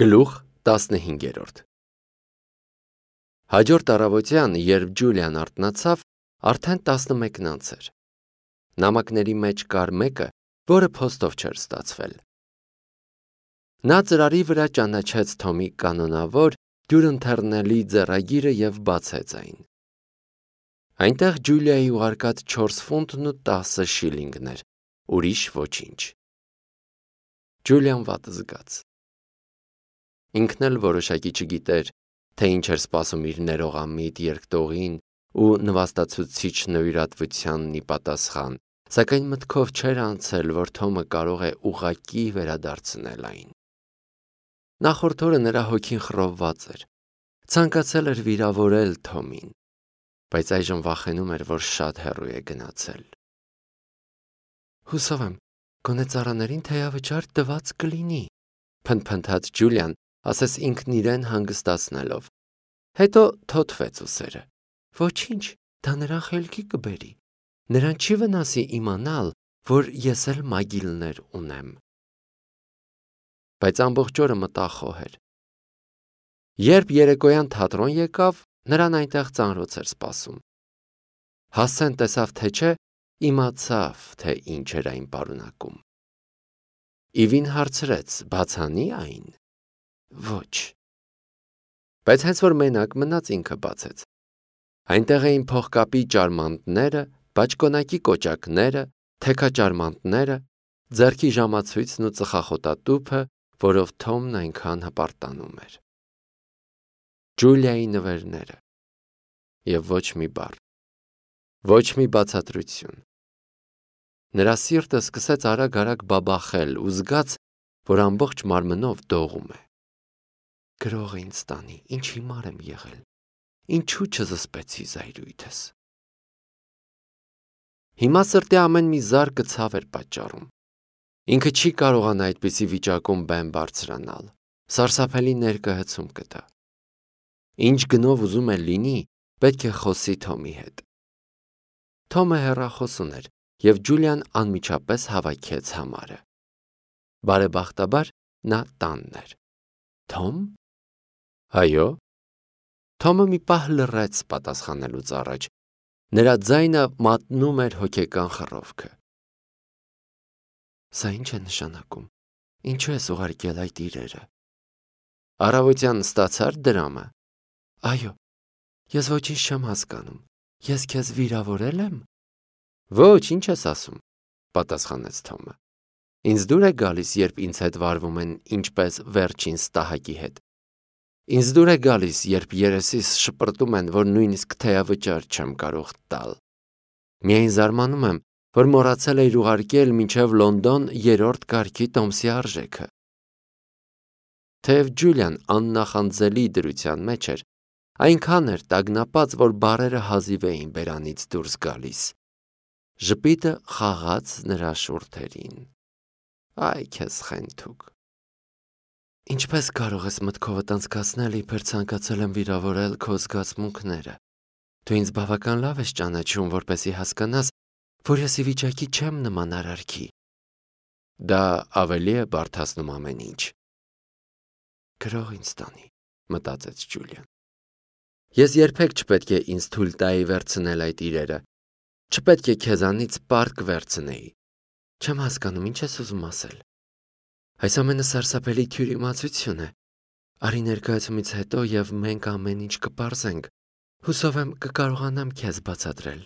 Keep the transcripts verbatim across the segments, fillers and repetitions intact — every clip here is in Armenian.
Գլուխ տասնհինգերորդ Հաջորդ առավոտյան, երբ Ջուլիան արթնացավ, արդեն տասնմեկն անց էր։ Նամակների մեջ կար մեկը, որը փոստով չէր ստացվել։ Նա ծրարի վրա ճանաչեց Թոմի կանոնավոր, դյուրընթեռնելի ձեռագիրը և բացեց այն։ Այնտեղ Ջուլիայի ուղարկած չորս ֆունտն ու տասը շիլինգներ, ուրիշ ոչինչ։ Ջուլիան վատ զգաց։ Ինքն էլ որոշակի չգիտեր, թե ինչ էր սպասում իր ներողամիտ երկտողին ու նվաստացուցիչ նվիրատվությանն ի պատասխան, սակայն մտքով չէր անցել, որ Թոմը կարող է ուղղակի վերադարձնել այն։ Նախորդ օրը նրա հոգին խռովված էր, ցանկացել էր վիրավորել Թոմին, բայց այժմ վախենում էր, որ շատ հեռու է գնացել։ Հուսով եմ, գոնե ծառաներին թեյավճար տված կլինի, փնթփնթաց Ջուլիան, ասես ինքն իրեն հանգստացնելով։ Հետո թոթվեց ուսերը։ Ոչինչ, դա նրան խելքի կբերի։ Նրան չի վնասի իմանալ, որ ես էլ մագիլներ ունեմ։ Բայց ամբողջ օրը մտախոհ էր։ Երբ երեկոյան թատրոն եկավ, նրան այնտեղ ծանրոց էր սպասում։ Հասցեն տեսավ, թե չէ, իմացավ, թե ինչ էր այն պարունակում։ Իվին հարցրեց, բացանի այն։ Ոչ։ Բայց հենց որ մենակ մնաց, ինքը բացեց։ Այնտեղ էին փողկապի ճարմանտները, բաճկոնակի կոճակները, թեքաճարմանտները, ձեռքի ժամացույցն ու ծխախոտատուփը, որով Թոմն այնքան հպարտանում էր։ Ջուլիայի նվերները։ Եվ ոչ մի բառ։ Ոչ մի բացատրություն։ Նրա սիրտը սկսեց արագ-արագ բաբախել ու զգաց, որ ամբողջ մարմնով դողում է։ Գրող ինձ տանի, ինչ հիմար եմ եղել, ինչու չզսպեցի զայրույթս։ Հիմա սրտի ամեն մի զարկը ցավ էր պատճառում։ Ինքը չի կարողանա այդպիսի վիճակում բեմ բարձրանալ, սարսափելի ներկայացում կտա։ Ինչ գնով ուզում է լինի, պետք է խոսի Թոմի հետ։ Թոմը հեռախոս ուներ, և Ջուլիան անմիջապես հավաքեց համարը։ Բարեբախտաբար նա տանն էր։ Թոմ։ Այո։ Թոմը մի պահ լռեց պատասխանելուց առաջ։ Նրա ձայնը մատնում էր հոգեկան խռովքը։ Սա ինչ է նշանակում։ Ինչու ես ուղարկել այդ իրերը։ Առավոտյան ստացա՞ր դրամը։ Այո։ Ես ոչինչ չեմ հասկանում։ Ես քեզ վիրավորել եմ։ Ոչ, ինչ ես ասում, պատասխանեց Թոմը։ Ինձ դուր է գալիս, երբ ինձ հետ վարվում են ինչպես վերջին ստահակի հետ։ Ինձ դուր է գալիս, երբ երեսիս շպրտում են, որ նույնիսկ թեյավճար չեմ կարող տալ։ Միայն զարմանում եմ, որ մոռացել էիր ուղարկել մինչև Լոնդոն երրորդ կարգի տոմսի արժեքը։ Թեև Ջուլիան աննախանձելի դրության մեջ էր, այնքան էր տագնապած, որ բառերը հազիվ էին բերանից դուրս գալիս։ Ժպիտը խաղաց նրա շուրթերին։ Այ քեզ խենթուկ։ Ինչպես կարող ես մտքովդ անցկացնել, իբր ցանկացել եմ վիրավորել քո զգացմունքները։ Դու ինձ բավական լավ ես ճանաչում, որպեսզի հասկանաս, որ ես ի վիճակի չեմ նման արարքի։ Դա ավելի է բարդացնում ամեն ինչ։ Գրող ինձ տանի, մտածեց Ջուլիան։ Ես երբեք չպետք է ինձ թույլ տայի վերցնել այդ իրերը։ Չպետք է քեզանից պարտք վերցնեի։ Չեմ հասկանում, ինչ ես ուզում ասել։ Այս ամենը սարսափելի թյուրիմացություն է։ Արի ներկայացումից հետո և մենք ամեն ինչ կպարզենք։ Հուսով եմ կկարողանամ քեզ բացատրել։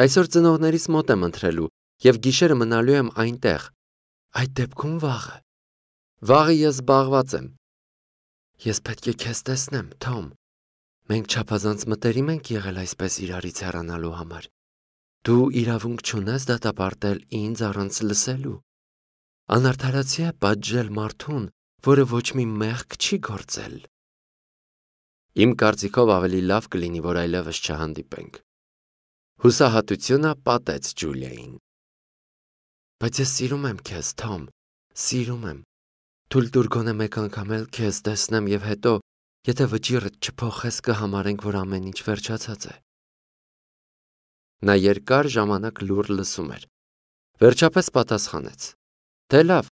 Այսօր ծնողներիս մոտ եմ ընթրելու և գիշերը մնալու եմ այնտեղ։ Այդ դեպքում վաղը։ Վաղը ես զբաղված եմ։ Ես պետք է քեզ տեսնեմ, Թոմ։ Մենք չափազանց մտերիմ ենք եղել այսպես իրարից հեռանալու համար։ Դու իրավունք չունես դատապարտել ինձ առանց լսելու։ Անարդարացի է պատժել մարդուն, որը ոչ մի մեղք չի գործել։ Իմ կարծիքով ավելի լավ կլինի, որ այլևս չհանդիպենք։ Հուսահատությունը պատեց Ջուլիային։ Բայց ես սիրում եմ քեզ, Թոմ, սիրում եմ։ Թույլ տուր գոնե մեկ անգամ էլ քեզ տեսնեմ և հետո, եթե վճիռդ չփոխես, կհամարենք, որ ամեն ինչ վերջացած է։ Նա երկար ժամանակ լուռ լսում էր։ Վերջապես պատասխանեց. Դե լավ,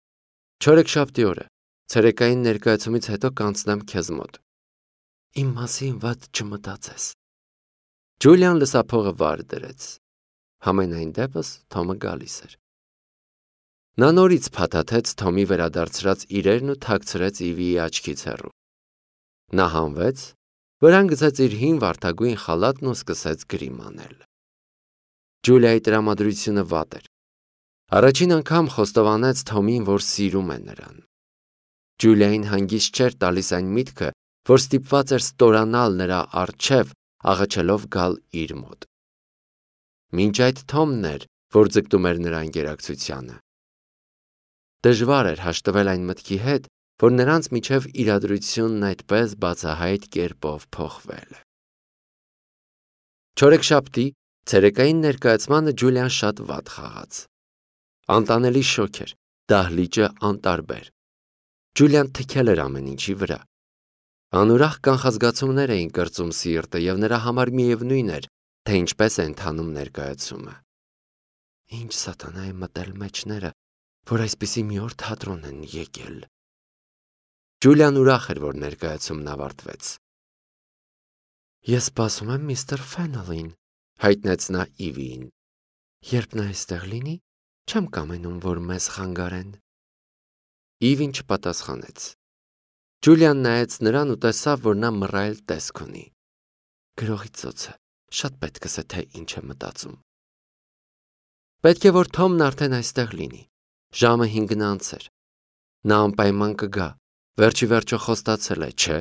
չորեքշաբթի օրը, Ցերեկային ներկայացումից հետո կանցնեմ քեզ մոտ։ Իմ մասին վատ չմտածես։ Ջուլիան լսափողը վար դրեց։ Համենայն դեպս Թոմը գալիս էր։ Նա նորից փաթաթեց Թոմի վերադարձրած իրերն ու թաքցրեց Իվիի աչքից հեռու։ Նա հանվեց, վրան գցեց իր հին վարդագույն խալաթն ու սկսեց գրիմ անել։ Ջուլիայի տրամադրությունը վատ էր։ Առաջին անգամ խոստովանեց Թոմին, որ սիրում է նրան։ Ջուլիային հանգիստ չէր տալիս այն միտքը, որ ստիպված էր ստորանալ նրա առջև, աղաչելով գալ իր մոտ։ Մինչ այդ Թոմն էր, որ ձգտում էր նրա ընկերակցությանը։ Դժվար էր հաշտվել այն մտքի հետ, որ նրանց միջև իրադրությունն այդպես բացահայտ կերպով փոխվել է։ Չորեքշաբթի ցերեկային ներկայացմանը Ջուլիան շատ վատ խաղաց։ Անտանելի շոկ էր, դահլիճը անտարբեր։ Ջուլիան թքել էր ամեն ինչի վրա։ Անուրախ կանխազգացումներ էին կրծում սիրտը և նրա համար միևնույն էր, թե ինչպես է ընթանում ներկայացումը։ Ինչ սատանա է մտել մեջները, որ այսպիսի մի օր թատրոն են եկել։ Ջուլիան ուրախ էր, որ ներկայացումն ավարտվեց։ Ես սպասում եմ միստր Ֆեննելին, հայտնեց նա Իվիին։ Երբ նա այստեղ լինի, չեմ կամենում, որ մեզ խանգարեն։ Իվին չպատասխանեց։ Ջուլիան նայեց նրան ու տեսավ, որ նա մռայլ տեսք ունի։ Գրողի ծոցը, շատ պետք է թե ինչ է մտածում։ Պետք է, որ Թոմն արդեն այստեղ լինի։ Ժամը հինգն անց էր։ Նա անպայման կգա, վերջի վերջո խոստացել է, չէ՞։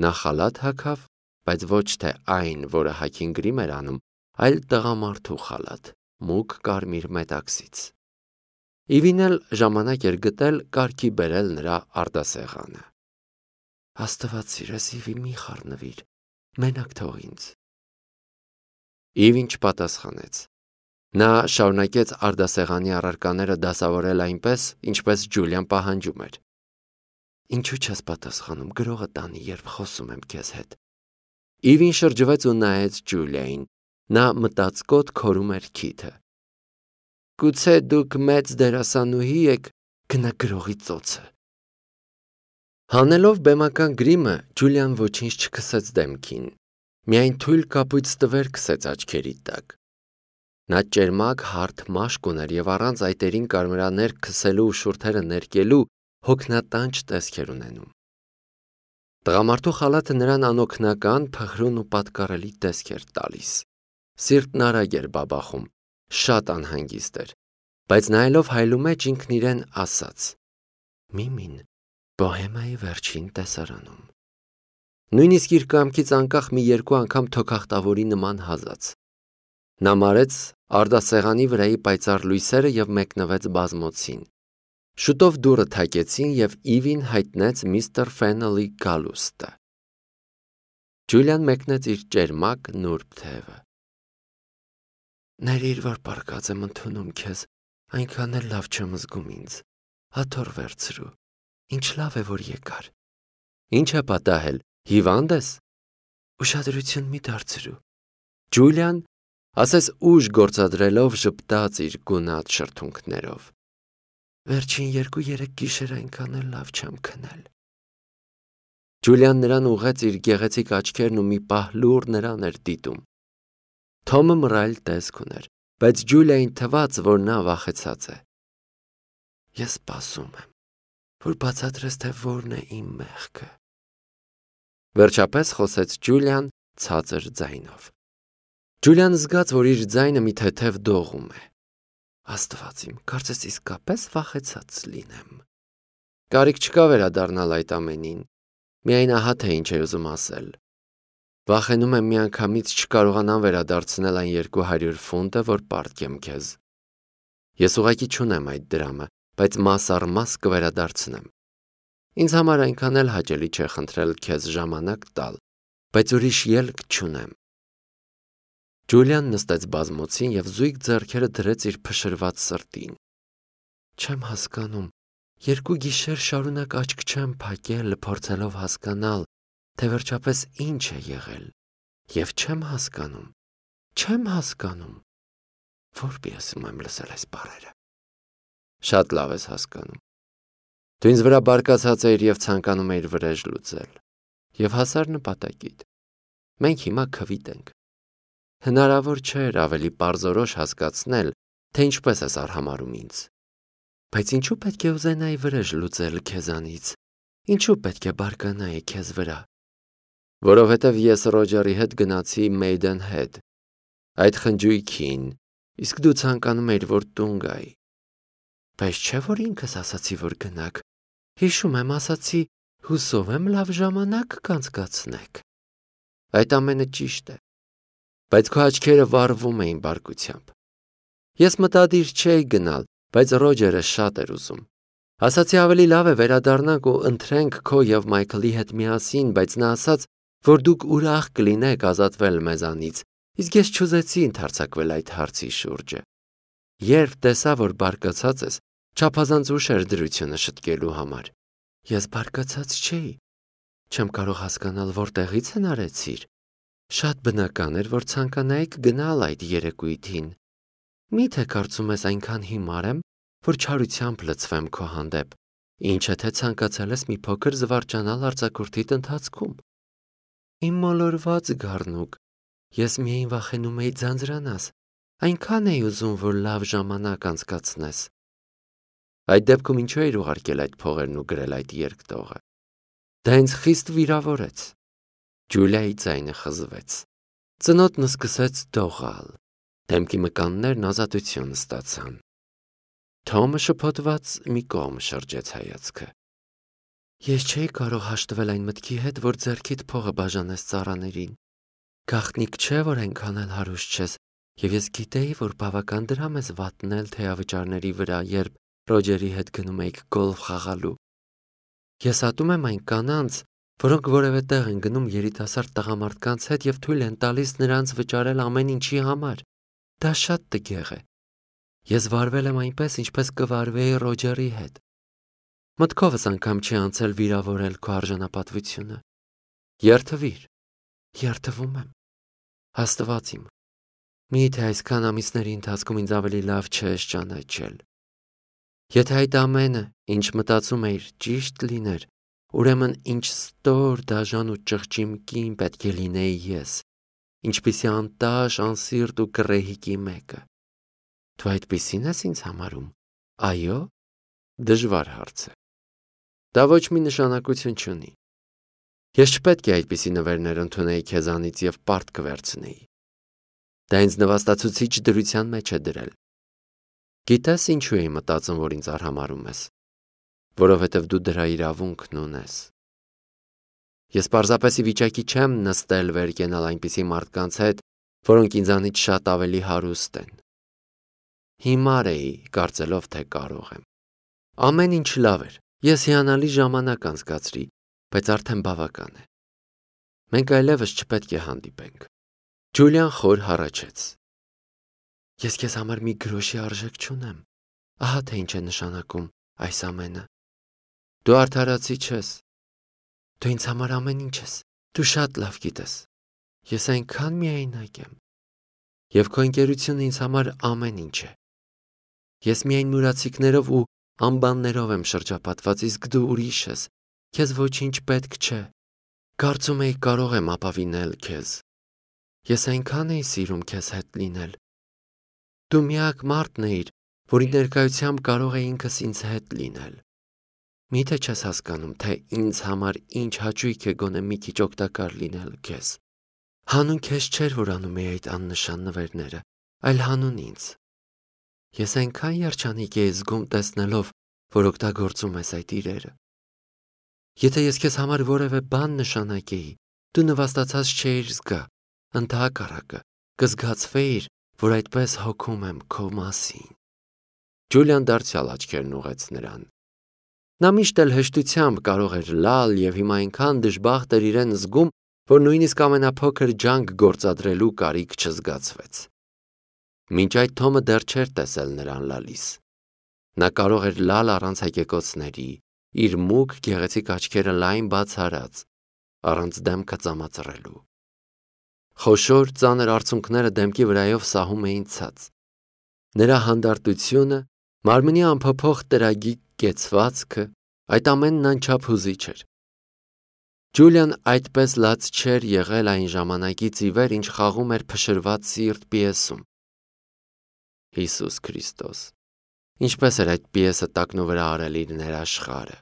Նա խալաթ հագավ, բայց ոչ թե այն, որը հագին գրիմ էր անում, այլ տղամարդու խալաթ, մուգ կարմիր մետաքսից։ Իվին էլ ժամանակ էր գտել կարգի բերել նրա արդասեղանը։ Աստված սիրես, Իվի, մի խառնվիր, մենակ թող ինձ։ Իվին չպատասխանեց։ Նա շարունակեց արդասեղանի առարկաները դասավորել այնպես, ինչպես Ջուլիան պահանջում էր։ Ինչու չես պատասխանում, գրողը տանի, երբ խոսում եմ քեզ հետ։ Իվին շրջվեց ու նայեց Ջուլիային։ Նա մտածկոտ քորում էր քիթը։ Գուցե դուք մեծ դերասանուհի եք, գնա գրողի ծոցը։ Հանելով բեմական գրիմը, Ջուլիան ոչինչ չքսեց դեմքին, միայն թույլ կապույտ ստվեր քսեց աչքերի տակ։ Նա ճերմակ հարթ մաշկ ուներ և առանց այտերին կարմրաներկ քսելու ու շուրթերը ներկելու հոգնատանջ տեսք էր ունենում։ Տղամարդու խալաթը նրան անօգնական, փխրուն ու պատկառելի տեսք էր տալիս։ Սիրտն արագ էր բաբախում, շատ անհանգիստ էր, բայց նայելով հայլու մեջ ինքն իրեն ասաց. Միմին Բոհեմայի վերջին տեսարանում։ Նույնիսկ իր կամքից անկախ մի երկու անգամ թոքախտավորի նման հազաց։ Նա մարեց արդասեղանի վրայի պայծառ լույսերը և մեկնվեց բազմոցին։ Շուտով դուռը թակեցին և Իվին հայտնեց միստր Ֆեննելի գալուստը։ Ջուլիան մեկնեց իր ճերմակ նուրբ թևը։ Ներիր, որ պառկած եմ ընդունում քեզ, այնքան էլ լավ չեմ զգում ինձ։ Աթոռ վերցրու։ Ինչ լավ է, որ եկար։ Ինչ է պատահել, հիվանդ ես։ Ուշադրություն մի դարձրու։ Ջուլիան, ասես ուժ գործադրելով, ժպտաց իր գունատ շրթունքներով։ Վերջին երկու-երեք գիշեր այնքան էլ լավ չեմ քնել։ Ջուլիան նրան ուղղեց իր գեղեցիկ աչքերն ու մի պահ լուռ նրան էր դիտում։ Թոմը մռայլ տեսք ուներ, բայց Ջուլիային թվաց, որ նա վախեցած է։ Ես սպասում եմ, որ բացատրես, թե որն է իմ մեղքը։ Վերջապես խոսեց Ջուլիան ցածր ձայնով։ Ջուլիան զգաց, որ իր ձայնը մի թեթև դողում է։ Աստված իմ, կարծես իսկապես վախեցած լինեմ։ Կարիք չկա վերադառնալ այդ ամենին։ Միայն ահա թե ինչ էր ուզում ասել։ Վախենում եմ միանգամից չկարողանամ վերադարձնել այն երկու հարյուր ֆունտը, որ պարտքեմ քեզ։ Ես ուղղակի չունեմ այդ դրամը, բայց մաս առ մաս կվերադարձնեմ։ Ինձ համար այնքան էլ հաճելի չէ խնդրել քեզ ժամանակ տալ, բայց ուրիշ ելք չունեմ։ Ջուլիան նստեց բազմոցին և զույգ ձեռքերը դրեց իր փշրված սրտին։ Չեմ հասկանում, երկու գիշեր շարունակ աչք չեմ փակել, փորձելով հասկանալ, թե վերջապես ինչ է եղել, և չեմ հասկանում, չեմ հասկանում, որպեսզի եմ լսել այս բառերը։ Շատ լավ ես հասկանում։ Դու ինձ վրա բարկացած էիր և ցանկանում էիր վրեժ լուծել, և հասար նպատակիդ։ Մենք հիմա քվիտ ենք։ Հնարավոր չէր ավելի պարզորոշ հասկացնել, թե ինչպես ես արհամարհում ինձ։ Բայց ինչու պետք է ուզենայի վրեժ լուծել քեզանից, ինչու պետք է բարկանայի քեզ վրա։ Որովհետև ես Ռոջերի հետ գնացի Maidenhead, այդ խնջույքին, իսկ դու ցանկանում էիր, որ տուն գայի։ Բայց չէ՞ որ ինքս ասացի, որ գնաք։ Հիշում եմ, ասացի, հուսով եմ լավ ժամանակ կանցկացնեք։ Այդ ամենը ճիշտ է, բայց քո աչքերը վառվում էին բարկությամբ։ Ես մտադիր չէի գնալ, բայց Ռոջերը շատ էր ուզում։ Ասացի ավելի լավ է վերադառնանք ու ընթրենք քո և Մայքլի հետ միասին, բայց նա ասաց, որ դուք ուրախ կլինեք ազատվել մեզանից, իսկ ես չուզեցի ընդարձակվել այդ հարցի շուրջը։ Երբ տեսա, որ բարկացած ես, չափազանց ուշ էր դրությունը շտկելու համար։ Ես բարկացած չէի։ Չեմ կարող հասկանալ, որտեղից հնարեցիր։ Շատ բնական էր, որ ցանկանայիք գնալ այդ երեկույթին։ Մի՞թե կարծում ես այնքան հիմար եմ, որ չարությամբ լցվեմ քո հանդեպ, ինչը թե ցանկացել ես մի փոքր զվարճանալ արձակուրդիդ ընթացքում։ Իմ մոլորված գառնուկ, ես միայն վախենում էի ձանձրանաս, այնքան էի ուզում, որ լավ ժամանակ անցկացնես։ Այդ դեպքում ինչու էիր ուղարկել այդ փողերն ու գրել այդ երկտողը։ Դա ինձ խիստ վիրավորեց։ Ջուլիայի ձայնը խզվեց։ Ծնոտն սկսեց դողալ։ Դեմքի մկաններն ազատություն ստացան։ Թոմը շփոթված մի կողմ շրջեց հայացքը։ Ես չէի կարող հաշտվել այն մտքի հետ, որ ձեռքիդ փողը բաժանես ծառաներին։ Գաղտնիք չէ, որ այնքան էլ հարուստ չես, և ես գիտեի, որ բավական դրամ ես վատնել թեյավճարների վրա, երբ Ռոջերի հետ գնում էիք գոլֆ խաղալու։ Ես ատում եմ այն կանանց, որոնք որևէ տեղ են գնում երիտասարդ տղամարդկանց հետ և թույլ են տալիս նրանց վճարել ամեն ինչի համար։ Դա շատ տգեղ է։ Ես վարվել եմ այնպես, ինչպես կվարվեի Ռոջերի հետ։ Մտքովս անգամ չի անցել վիրավորել քո արժանապատվությունը։ Երդվիր, երդվում եմ։ Աստված իմ, միթե այսքան ամիսների ընթացքում ինձ ավելի լավ չես ճանաչել։ Եթե այդ ամենը, ինչ մտածում էիր, ճիշտ լիներ, ուրեմն ինչ ստոր, դաժան ու ճղճիմ կին պետք է լինեի ես, ինչպիսի անտաշ, անսիրտ ու գռեհիկի մեկը։ Դու այդպիսին ես ինձ համարում, այո՞։ Դժվար հարց է։ Դա ոչ մի նշանակություն չունի։ Ես չպետք է այդպիսի նվերներ ընդունեի քեզանից և պարտք վերցնեի։ Դա ինձ նվաստացուցիչ դրության մեջ է դրել։ Գիտես ինչու էի մտածում, որ ինձ արհամարհում ես, որովհետև դու դրա իրավունքն ունես։ Ես պարզապես ի վիճակի չեմ նստել վեր կենալ այնպիսի մարդկանց հետ, որոնք ինձանից շատ ավելի հարուստ են։ Հիմար էի, կարծելով, թե կարող եմ։ Ամեն ինչ լավ էր, ես հիանալի ժամանակ անցկացրի, բայց արդեն բավական է։ Մենք այլևս չպետք է հանդիպենք։ Ջուլիան խոր հառաչեց։ Ես քեզ համար մի գրոշի արժեք չունեմ։ Ահա թե ինչ է նշանակում այս ամենը։ Դու արդարացի չես։ Դու ինձ համար ամեն ինչ ես։ Դու շատ լավ գիտես։ Ես այնքան միայնակ եմ։ Եվ քո ընկերությունը ինձ համար ամեն ինչ է։ Ես միայն մուրացիկներով ու ամբաններով եմ շրջապատված, իսկ դու ուրիշ ես։ Քեզ ոչինչ պետք չէ։ Կարծում էի կարող եմ ապավինել քեզ։ Ես այնքան էի սիրում քեզ հետ լինել։ Դու միակ մարդն էիր, որի ներկայությամբ կարող էի ինքս ինձ հետ լինել։ Միթե չես հասկանում, թե ինձ համար ինչ հաճույք է գոնե մի քիչ օգտակար լինել քեզ։ Հանուն քեզ չէր, որ անում էի այդ աննշան նվերները, այլ հանուն ինձ։ Ես այնքան երջանիկ էի զգում տեսնելով, որ օգտագործում ես այդ իրերը։ Եթե ես քեզ համար որևէ բան նշանակեի, դու նվաստացած չէիր զգա, ընդհակառակը, կզգացվեիր, որ այդպես հոգում եմ քո մասին։ Ջուլիան դարձյալ աչքերն ուղղեց նրան։ Նա միշտ էլ հեշտությամբ կարող էր լալ և հիմա այնքան դժբախտ էր իրեն զգում, որ նույնիսկ ամենափոքր ջանք գործադրելու կարիք չզգացվեց։ Մինչ այդ Թոմը դեռ չէր տեսել նրան լալիս։ Նա կարող էր լալ առանց հեկեկոցների, իր մուգ գեղեցիկ աչքերը լայն բաց արած, առանց դեմքը ծամածռելու։ Խոշոր ծանր արցունքները դեմքի վրայով սահում էին ցած։ Նրա հանդարտությունը, մարմնի անփոփոխ տրագիկ կեցվածքը, Այդ ամենն անչափ հուզիչ էր։ Ջուլիան այդպես լաց չէր եղել այն ժամանակից ի վեր, ինչ խաղում էր փշրված սիրտ պիեսում։ Հիսուս Քրիստոս, ինչպես էր այդ պիեսը տակնու վրա արել իր ներաշխարը։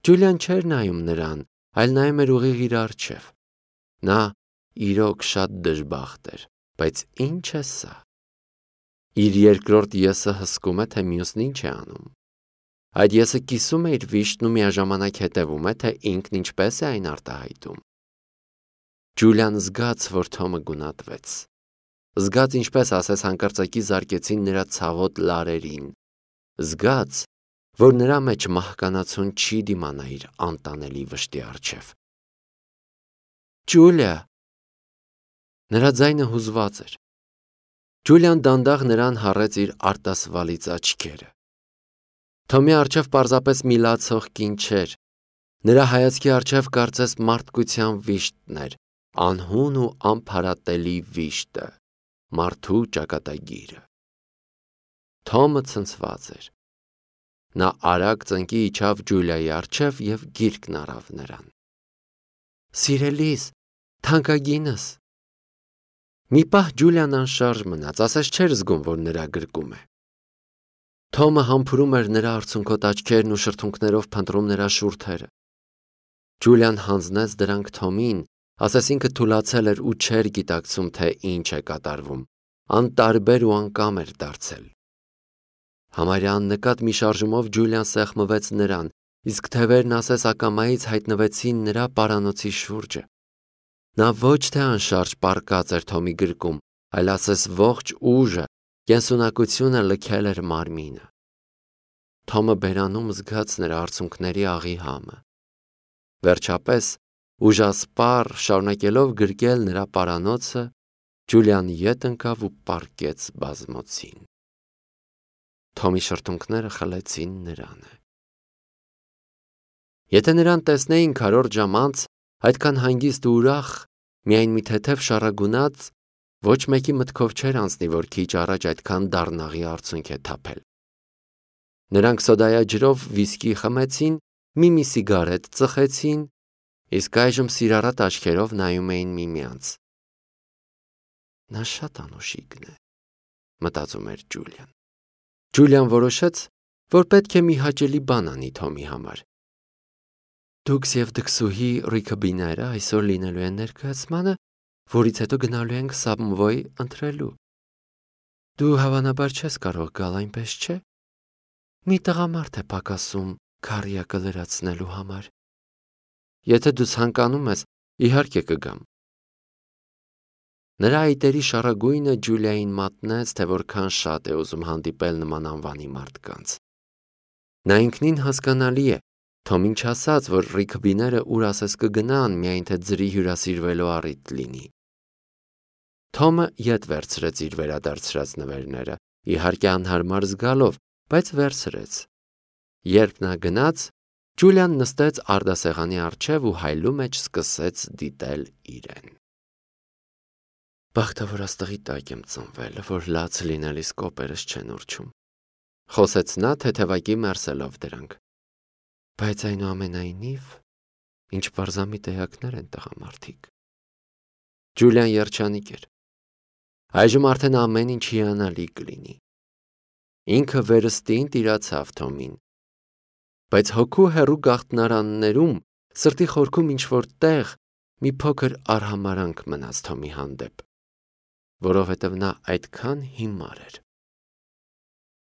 Ջուլիան չէր նայում նրան, այլ նայում էր ուղիղ իր առջև։ Նա իրոք շատ դժբախտ էր, բայց ինչ է սա։ Իր երկրորդ եսը հսկում է, թե մյուսն ինչ է անում։ Այդ եսը կիսում է իր վիշտն ու միաժամանակ հետևում է, թե ինքն ինչպես է այն արտահայտում։ Ջուլիան զգաց, որ Թոմը գունատվեց։ Զգաց, ինչպես ասես հանկարծակի զարկեցին նրա ցավոտ լարերին։ Զգաց, որ նրա մեջ մահկանացուն չի դիմանա իր անտանելի վշտի առջև։ Ջուլիա։ Նրա ձայնը հուզված էր։ Ջուլիան դանդաղ նրան հառեց իր արտասվալից աչքերը։ Թոմի առջև պարզապես մի լացող կին չէր։ Նրա հայացքի առջև կարծես մարդկության վիշտն էր, անհուն ու անփարատելի վիշտը, մարդու ճակատագիրը։ Թոմը ցնցված էր։ Նա արագ ծնկի իջավ Ջուլիայի առջև և գիրկն առավ նրան։ Սիրելիս, թանկագինս։ Մի պահ Ջուլիան անշարժ մնաց, ասես չէր զգում, որ նրա գրկում է։ Թոմը համբուրում էր նրա արցունքոտ աչքերն ու շրթունքներով փնտրում նրա շուրթերը։ Ջուլիան հանձնեց դրանք Թոմին, ասես ինքը թուլացել էր ու չէր գիտակցում, թե ինչ է կատարվում, անտարբեր ու անկամ էր դարձել։ Համարյա աննկատ մի շարժումով Ջուլիան սեղմվեց նրան, իսկ թևերն ասես ակամայից հայտնվեցին նրա պարանոցի շուրջը։ Նա ոչ թե անշարժ պառկած էր Թոմի գրկում, այլ ասես ողջ ուժը, կենսունակությունը լքել էր մարմինը։ Թոմը բերանում զգաց նրա արցունքների աղի համը։ Վերջապես, ուժասպառ շարունակելով գրկել նրա պարանոցը, Ջուլիան ետ ընկավ ու պառկեց բազմոցին։ Թոմի շրթունքները խլեցին նրանը։ Եթե նրան տեսնեին քառորդ ժամ անց, այդքան հանգիստ ու ուրախ, միայն մի թեթև շառագունած, ոչ մեկի մտքով չէր անցնի, որ քիչ առաջ այդքան դառնաղի արցունք է թափել։ Նրանք սոդայաջրով վիսկի խմեցին, մի-մի սիգարետ ծխեցին, իսկ այժմ սիրառատ աչքերով նայում էին միմյանց։ Նա շատ անուշիկն է, մտածում էր Ջուլիան։ Ջուլիան որոշեց, որ պետք է մի հաճելի բան անի Թոմի համար։ Դուքս և դքսուհի Ռիքըբիները այսօր լինելու են ներկայացմանը, որից հետո գնալու ենք Սավմվոյ ընթրելու։ Դու հավանաբար չես կարող գալ, այնպես չէ։ Մի տղամարդ է պակասում քարյակը լրացնելու համար։ Եթե դու ցանկանում ես, իհարկե կգամ։ Նրա այտերի շառագույնը Ջուլիային մատնեց, թե որքան շատ է ուզում հանդիպել նման անվանի մարդկանց։ Նա ինքնին հասկանալի է, Թոմին չասաց, որ Ռիքըբիները ուր ասես կգնան, միայն թե ձրի հյուրասիրվելու առիթ լինի։ Թոմը ետ վերցրեց իր վերադարձրած նվերները, իհարկե անհարմար զգալով, բայց վերցրեց։ Երբ նա գնաց, Ջուլիան նստեց արդասեղանի առջև ու հայլու մեջ սկսեց դիտել իրեն։ Բախտավոր աստղի տակ եմ ծնվել, որ լաց լինելիս կոպերս չեն ուռչում, խոսեց նա թեթևակի մերսելով դրանք։ Բայց այնուամենայնիվ, ինչ պարզամիտ էակներ են տղամարդիկ։ Ջուլիան երջանիկ էր։ Այժմ արդեն ամեն ինչ հիանալի կլինի։ Ինքը վերստին տիրացավ Թոմին։ Բայց հոգու հեռու գաղտնարաններում, սրտի խորքում ինչ-որ տեղ, մի փոքր արհամարանք մնաց Թոմի հանդեպ, որովհետև նա այդքան հիմար էր։